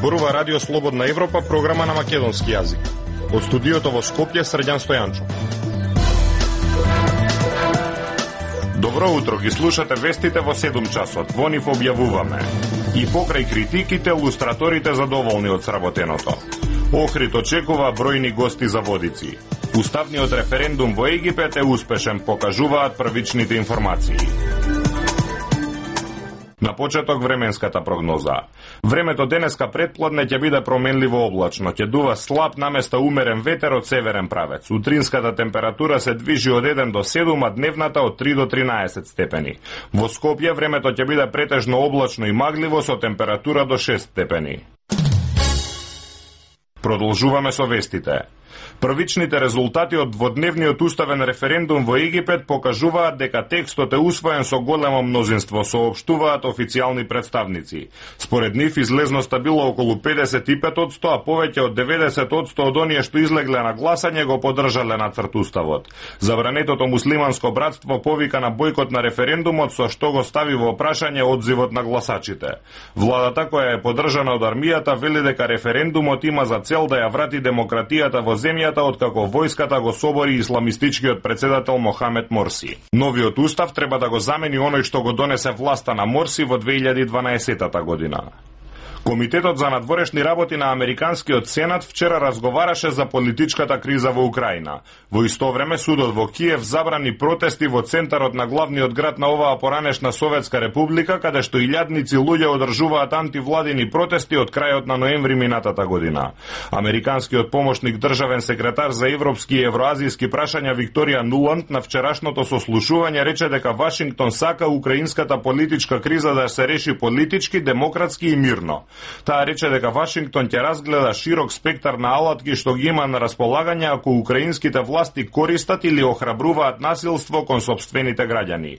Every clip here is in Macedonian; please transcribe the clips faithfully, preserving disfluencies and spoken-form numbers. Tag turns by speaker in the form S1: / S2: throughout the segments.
S1: Зборува Радио Слободна Европа, програма на македонски јазик. Од студиото во Скопје, Срđan Стојанчо. Добро утро, ги слушате вестите во седум часот. Во нив објавуваме: и покрај критиките, лустраторите задоволни од сработеното. Охрид очекува бројни гости за водици. Уставниот референдум во Египет е успешен, покажуваат првичните информации. На почеток временската прогноза. Времето денеска предпладне ќе биде променливо облачно, ќе дува слаб наместа умерен ветер од северен правец. Утринската температура се движи од еден до седум, а дневната од три до тринаесет степени. Во Скопје времето ќе биде претежно облачно и магливо со температура до шест степени. Продолжуваме со вестите. Првичните резултати од дводневниот уставен референдум во Египет покажуваат дека текстот е усвоен со големо мнозинство, соопштуваат официјални представници. Според нив излезноста било околу педесет и пет одсто, а повеќе од деветдесет одсто од оние што излегле на гласање го поддржале нацрт уставот. Забранетото муслиманско братство повика на бојкот на референдумот, со што го стави во прашање одзивот на гласачите. Владата, која е поддржана од армијата, вели дека референдумот има за цел да ја врати демократијата во земјата откако војската го собори исламистичкиот председател Мохамед Морси. Новиот устав треба да го замени оној што го донесе власта на Морси во две илјади и дванаесета година. Комитетот за надворешни работи на Американскиот сенат вчера разговараше за политичката криза во Украина. Во исто време судот во Киев забрани протести во центарот на главниот град на оваа поранешна Советска република, каде што илјадници луѓе одржуваат антивладини протести од крајот на ноември минатата година. Американскиот помошник државен секретар за европски и евроазијски прашања Викторија Нуланд на вчерашното сослушување рече дека Вашингтон сака украинската политичка криза да се реши политички, демократски и мирно. Таа рече дека Вашингтон ќе разгледа широк спектар на алатки што ги има на располагање ако украинските власти користат или охрабруваат насилство кон сопствените граѓани.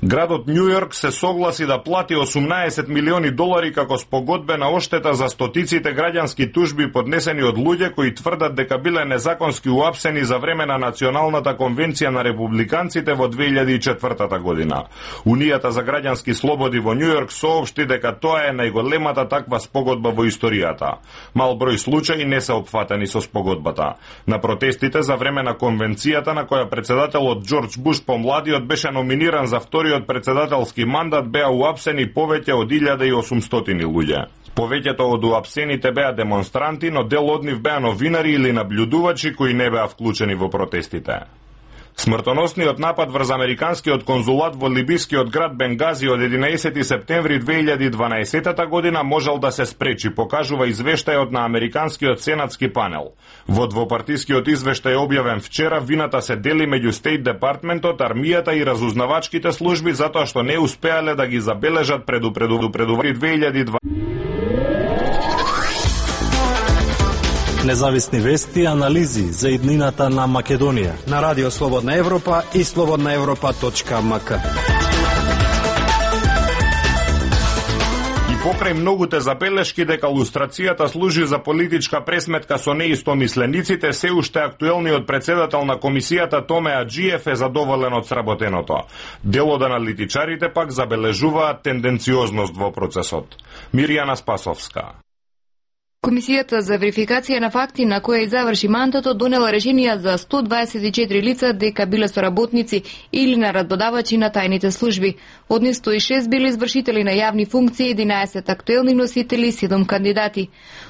S1: Градот Њујорк се согласи да плати осумнаесет милиони долари како спогодбена оштета за стотиците граѓански тужби поднесени од луѓе кои тврдат дека биле незаконски уапсени за време на Националната конвенција на републиканците во две илјади и четвртата година. Унијата за граѓански слободи во Њујорк соопшти дека тоа е најголемата таква спогодба во историјата. Мал број случаи не се опфатени со спогодбата. На протестите за време на конвенцијата на која председателот Џорџ Буш помладиот беше номиниран за втори од председателски мандат беа уапсени повеќе од илјада и осумстотини луѓе. Повеќето од уапсените беа демонстранти, но дел од нив беа новинари или наблюдувачи кои не беа вклучени во протестите. Смртоносниот напад врз американскиот конзулат во либискиот град Бенгази од единаесети септември две илјади и дванаесета година можел да се спречи, покажува извештајот на американскиот сенатски панел. Во двопартискиот извештај објавен вчера, вината се дели меѓу Стейт Департментот, армијата и разузнавачките служби затоа што не успеале да ги забележат предупредувањето две илјади и дваесета.
S2: Независни вести и анализи за иднината на Македонија
S3: на Радио Слободна Европа и слободна европа точка ем ка.
S1: И покрај многуте забелешки дека лустрацијата служи за политичка пресметка со неистомислениците, се уште актуелниот председател на комисијата Томе Аџиев е задоволен од сработеното. Дел од аналитичарите пак забележуваат тенденциозност во процесот. Мирјана Спасовска.
S4: Комисијата за верификација на факти на која заврши мандатот донела решенија за сто дваесет и четири лица дека биле соработници или нарадбодавачи на тајните служби. Од нив сто и шест били извршители на јавни функции, единаесет актуелни носители и седум кандидати.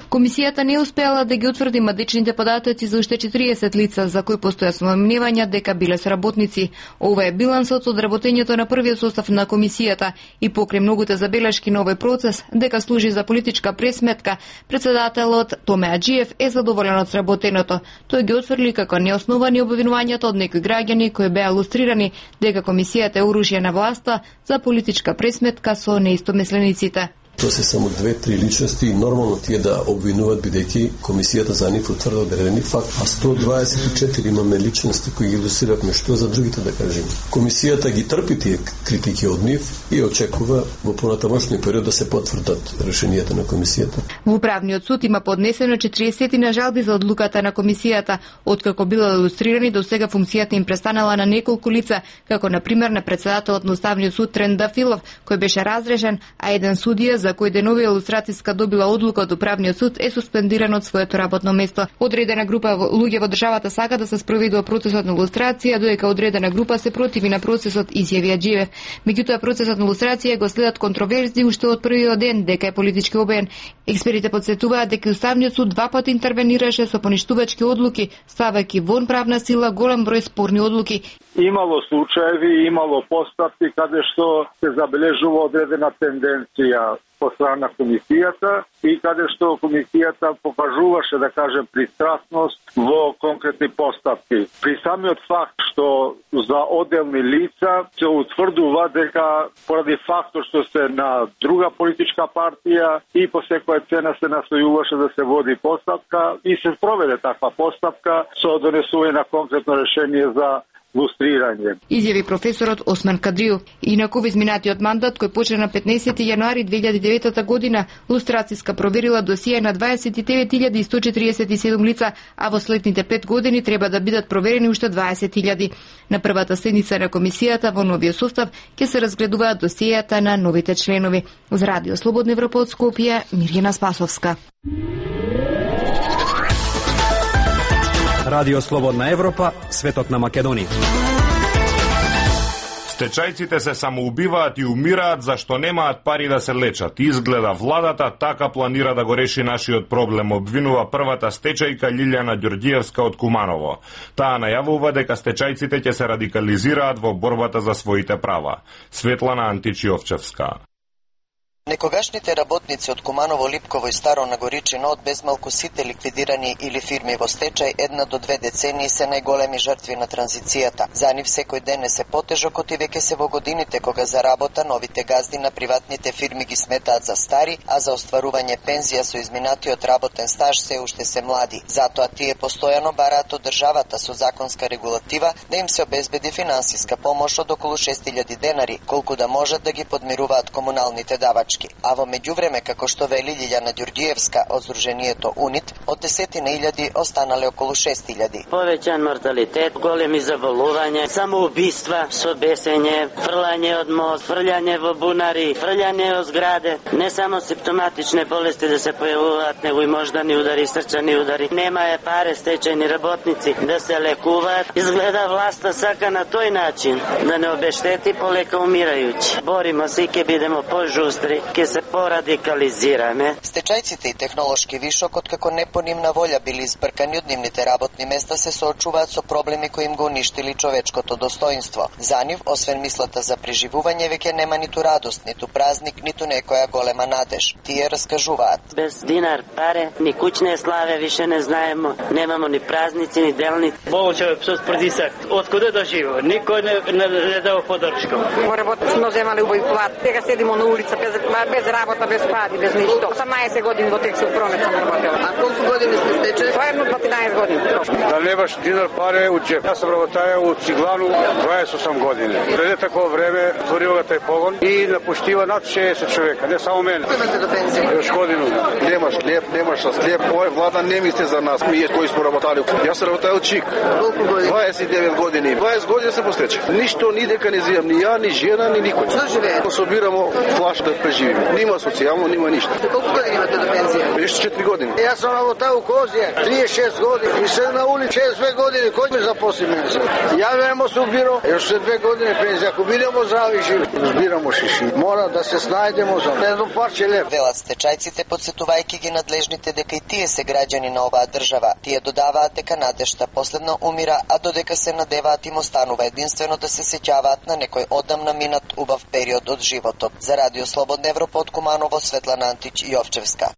S4: Комисијата не успеала да ги утврди мадичните податоци за уште четириесет лица за кои постојат сомневања дека биле соработници. Ова е билансот од работењето на првиот состав на комисијата и покрај многуте забелешки на овој процес дека служи за политичка пресметка, председателот Томе Аџиев е задоволен од сработеното. Тој ги отфрли како неосновани обвинувањата од некои граѓани кои беа лустрирани дека комисијата е оружје на власта за политичка пресметка со неистомислениците.
S5: Тоа се само две-три личности и нормално тие да обвинуваат бидејќи комисијата за нив утврди одредени факт, а сто дваесет и четири имаме личности кои ги илустрираме, што за другите да кажеме. Комисијата ги трпи тие критики од нив и очекува во понатамошниот период да се потврдат решенијата на комисијата.
S4: Во управниот суд има поднесено четириесет на жалби за одлуката на комисијата, откако било илустрирани до сега функцијата им престанала на неколку лица, како на пример на председателот на Уставниот суд Трен Дафилов, кој беше разрешен, а еден судија за за кој денови илустрацијска добила одлука од управниот суд, е суспендиран од своето работно место. Одредена група луѓе во државата сака да се спроведува процесот на илустрација, додека одредена група се противи на процесот, изјави Аџиев. Меѓутоа процесот на илустрација го следат контроверзи уште од првиот ден дека е политички обоен. Експертите потсетуваат дека Уставниот суд два пати интервенираше со поништувачки одлуки, ставајќи вон правна сила голем број спорни одлуки.
S6: Имало случаеви, имало постапки каде што се забележува одредена тенденција по страна на комисијата и каде што комисијата покажуваше, да кажем, пристрасност во конкретни постапки. При самиот факт што за отделни лица се утврдува дека поради фактот што се на друга политичка партија и по секоја цена се настојуваше да се води постапка и се проведе таква постапка со донесување на конкретно решение за лустрирање.
S4: Изјави професорот Осман Кадријов. Инаку во изминатиот мандат, кој почна на петнаесети јануари две илјади и девета година, лустрацијска проверила досие на дваесет и девет илјади и сто четириесет и седум лица, а во следните пет години треба да бидат проверени уште дваесет илјади. На првата седница на комисијата во новиот состав ќе се разгледуваат досиејата на новите членови. За Радио Слободна Европа од Скопје, Мирјана Спасовска.
S3: Радио Слободна Европа, светот на Македонија.
S1: Стечајците се самоубиваат и умираат зашто немаат пари да се лечат. Изгледа владата така планира да го реши нашиот проблем, обвинува првата стечајка Лилјана Ѓорѓиевска од Куманово. Таа најавува дека стечајците ќе се радикализираат во борбата за своите права. Светлана Античиовчевска.
S7: Некогашните работници од Куманово, Липково и Старо Нагоричино од безмалку сите ликвидирани или фирми во стечај една до две децении се најголеми жртви на транзицијата. За нив секој ден е се потежок, оти веќе се во годините кога за работа новите газди на приватните фирми ги сметаат за стари, а за остварување пензија со изминатиот работен стаж се уште се млади. Затоа тие постојано бараат од државата со законска регулатива да им се обезбеди финансиска помош од околу шест илјади денари, колку да можат да ги подмируваат комуналните давачки. А во меѓувреме, како што вели Лилјана Ѓорѓиевска од Сдруженијето УНИТ, од десетина илјади останале околу шест илјади.
S8: Повеќан морталитет, големи заболувања, самоубиства со бесење, фрлање од мост, фрлање во бунари, фрлање од зграде, не само симптоматични болести да се појавуваат, него и мождани удари, срчани удари. Нема е паре стечајни работници да се лекуваат. Изгледа власта сака на тој начин да не обештети полека умирајуќи. Боримо се и ќе бидемо пожустри, ќе се порадикализираме.
S7: Стечајците и технолошки вишок, откако не по нивна волја били избркани од нивните работни места, се соочуваат со проблеми кои им го уништили човечкото достоинство. За нив, освен мислата за преживување, веќе нема ниту радост, ниту празник, ниту некоја голема надеж. Тие раскажуваат.
S8: Без динар, паре, ни куќне славе више не знаемо, немамо ни празници, ни делници. Болчев со притисак, од куде да живо? Никој не, не, не дава поддршка.
S9: Во работа сме земали убави плат, сега седимо на улица без без работа, без пари, без ништо. осамнаесет години во текстил промет сам работела.
S7: А колку години сте стече?
S9: Тоа е едно дванаесет години.
S6: Да немаш динар паре у џеп. Јас сам работаја у Циглану дваесет и осум години. Преде такво време отворила тај погон и напуштива над шеесет човека, не само мене.
S7: Имате до пензија?
S6: Још годину. Немаш хлеб, немаш хлеб. Овој влада не мисли за нас, ние кои сме работали. Јас сам работаја у Чик.
S7: Колку години?
S6: дваесет и девет години. дваесет години се постече. Ништо ни дека не зијам, ни ја, ни жена, ни никој.
S7: Што живее?
S6: Собирамо флаш да преживиме. Нима социјално, нима ништо.
S7: Колку години имате до пензија?
S6: Ешто четири години.
S10: Јас сам работав у Козија, триесет и шест години и се на улица шест две години. Кој ме запосли мене? Ја вемо се убиро, још се две години пензија. Ако бидемо здрави живи, збирамо шиши. Мора да се снајдемо за едно парче леп.
S7: Велат стечајците, подсетувајќи ги надлежните дека и тие се граѓани на оваа држава. Тие додаваат дека надежта последно умира, а додека се надеваат им останува единствено да се сеќаваат на некој одамна минат убав период од животот. За Радио Слободна Европа од Куманово, Светлана Антич Јовчевска.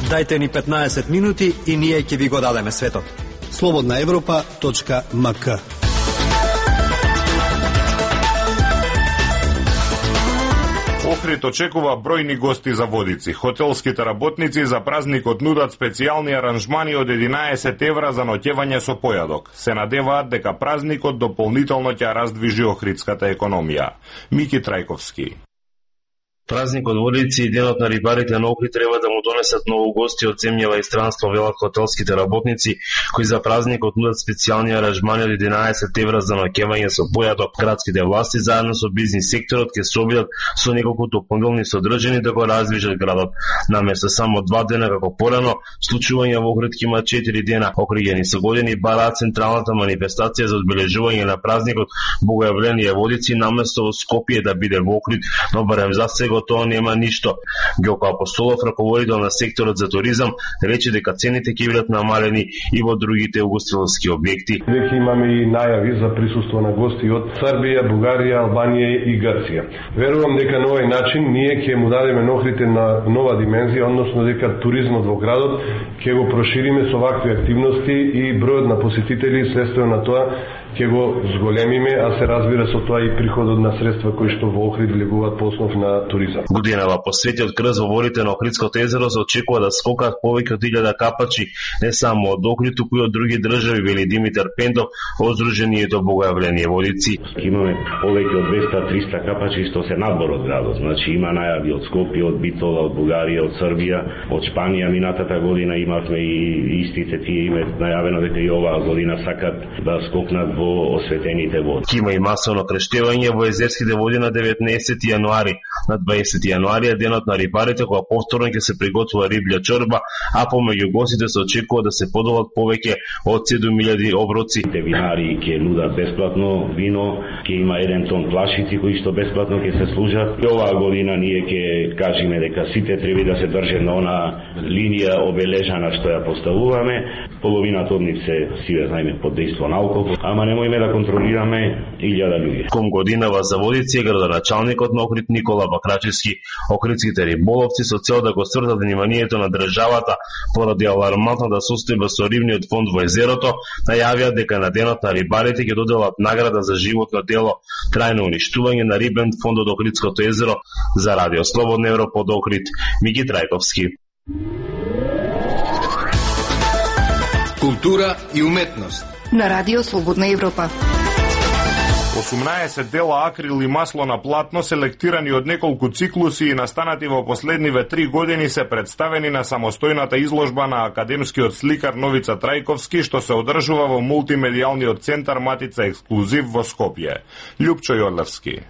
S3: Дајте ни петнаесет минути и ние ќе ви го дадеме светот.
S11: слободна европа точка ем ка.
S1: Охрид очекува бројни гости за Водици. Хотелските работници за празникот нудат специјални аранжмани од единаесет евра за ноќевање со појадок. Се надеваат дека празникот дополнително ќе раздвижи охридската економија. Мики Трајковски.
S12: Празникот Водици и денот на рибарите на Охрид треба да му донесат многу гости од земјава и странство, велат хотелските работници, кои за празникот нудат специјални аранжмани од единаесет евра за ноќевање со појато. Градските власти заедно со бизнис секторот ќе се обидат со неколку дополнителни содржини да го раздвижат градот. Наместо само два дена како порано, случување во Охрид има четири дена. Охриѓани со години бараат централната манифестација за одбележување на празникот Богојавление Водици наместо во Скопје да биде во Охрид, но барем за сега тоа нема ништо. Ѓоко Апостолов, раководител на секторот за туризам, рече дека цените ќе бидат намалени и во другите угостителски објекти.
S13: Веќе имаме и најави за присуство на гости од Србија, Бугарија, Албанија и Грција. Верувам дека на овој начин ние ќе му дадеме на Охрид на нова димензија, односно дека туризмот во градот ќе го прошириме со вакви активности и бројот на посетители следствено на тоа ќе го зголемиме, а се разбира со тоа и приходот на средства кои што во Охрид влегуваат по основ на туризам.
S12: Годинава посвети од крз во водите на Охридското езеро се очекува да скокат повеќе од илјада капачи, не само од Охрид, туку и од други држави, вели Димитар Пендов од Сдруженијето Богојавление Водици.
S14: Имаме повеќе од двеста до триста капачи што се надвор од градот. Значи има најави од Скопје, од Битола, од Бугарија, од Србија, од Шпанија. Минатата година имавме и истите тие име најавено дека и оваа година сакат да скокнат во осветените води.
S12: Има и масовно крештевање во езерските води на деветнаесети јануари. На дваесети јануари е денот на рибарите, кога повторно ќе се приготвува риблја чорба, а помеѓу гостите се очекува да се подолат повеќе од седум илјади оброци.
S14: Винари ќе нудат бесплатно вино, ќе има еден тон плашици кои што бесплатно ќе се служат. И оваа година ние ќе кажеме дека сите треба да се држат на она линија обележана што ја поставуваме. Половината од нив се сиве знаеме под дејство на алкохол, ама немојме да контролираме илјада луѓе.
S12: Ком годинава за Водици е градоначалникот на Охрид Никола Бакрачевски. Охридските риболовци со цел да го свртат вниманието на државата поради алармантната состојба со рибниот фонд во езерото, најавија дека на денот на рибарите ќе доделат награда за животно дело трајно уништување на рибен фонд од Охридското езеро. За Радио Слободна Европа од Охрид, Мики Трајковски.
S3: Култура и уметност
S4: на Радио Слободна Европа.
S1: осумнаесет дела акрил и масло на платно, селектирани од неколку циклуси и настанати во последниве три години, се представени на самостојната изложба на академскиот сликар Новица Трајковски, што се одржува во мултимедијалниот центар Матица Ексклузив во Скопје. Љупчо Јорлевски.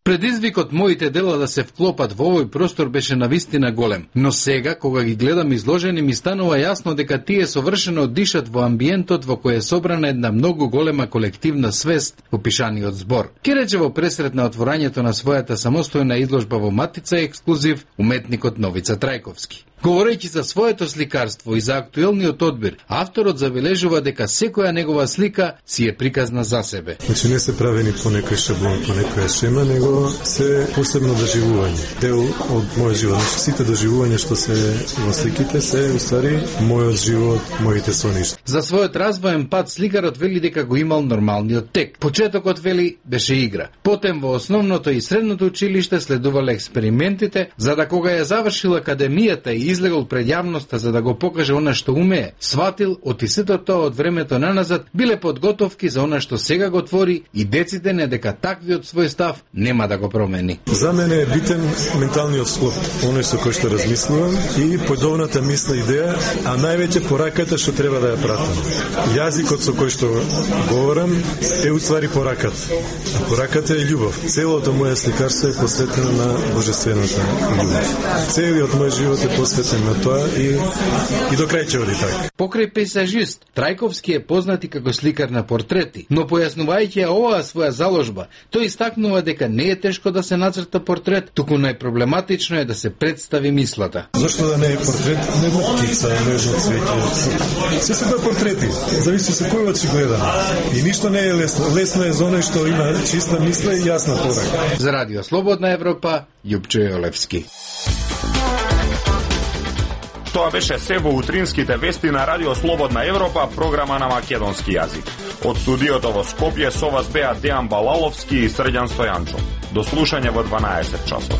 S15: Предизвикот моите дела да се вклопат во овој простор беше навистина голем, но сега, кога ги гледам изложени, ми станува јасно дека тие совршено дишат во амбиентот во кој е собрана една многу голема колективна свест во пишаниот збор. Ке рече во пресрет на отворањето на својата самостојна изложба во Матица Ексклузив, уметникот Новица Трајковски. Говорејќи за своето сликарство и за актуелниот одбир, авторот забележува дека секоја негова слика си е приказна за себе.
S16: Значи не се правени по некој шаблон, по некоја шема, него се посебно доживување. Дел од мојот живот. Значи, сите доживувања што се во сликите се уствари мојот живот, моите соништа.
S15: За својот развоен пат сликарот вели дека го имал нормалниот тек. Почетокот вели беше игра. Потем во основното и средното училиште следувале експериментите, за да кога ја завршил академијата и излегол пред јавноста за да го покаже она што умее, сватил од сето тоа од времето наназад биле подготовки за она што сега го твори и деците не дека таквиот свој став нема да го промени.
S16: За мене е битен менталниот склоп, оној со кој што размислувам и подобната мисла идеја, а највеќе пораката што треба да ја пратам. Јазикот со кој што говорам е уствари пораката. А пораката е љубов. Целото моје сликарство е посветено на божествената љубов. Целиот мој живот е посветен на тоа и, и до крај ќе оди така.
S15: Покрај пейзажист, Трајковски е познат и како сликар на портрети, но појаснувајќи оваа своја заложба, тој истакнува дека не е тешко да се нацрта портрет, туку најпроблематично е да се представи мислата.
S16: Зошто да не е портрет на една птица, на едно цвеќе? Се се тоа портрети, зависи со кој очи гледаме. И ништо не е лесно. Лесно е за оној што има чиста мисла и јасна порака.
S15: За Радио Слободна Европа, Љупчо Јолевски.
S1: Тоа беше се во утринските вести на Радио Слободна Европа, програма на македонски јазик. Од студиото во Скопје со вас беа Дејан Балаловски и Срđan Стојанчов. До слушање во дванаесет часот.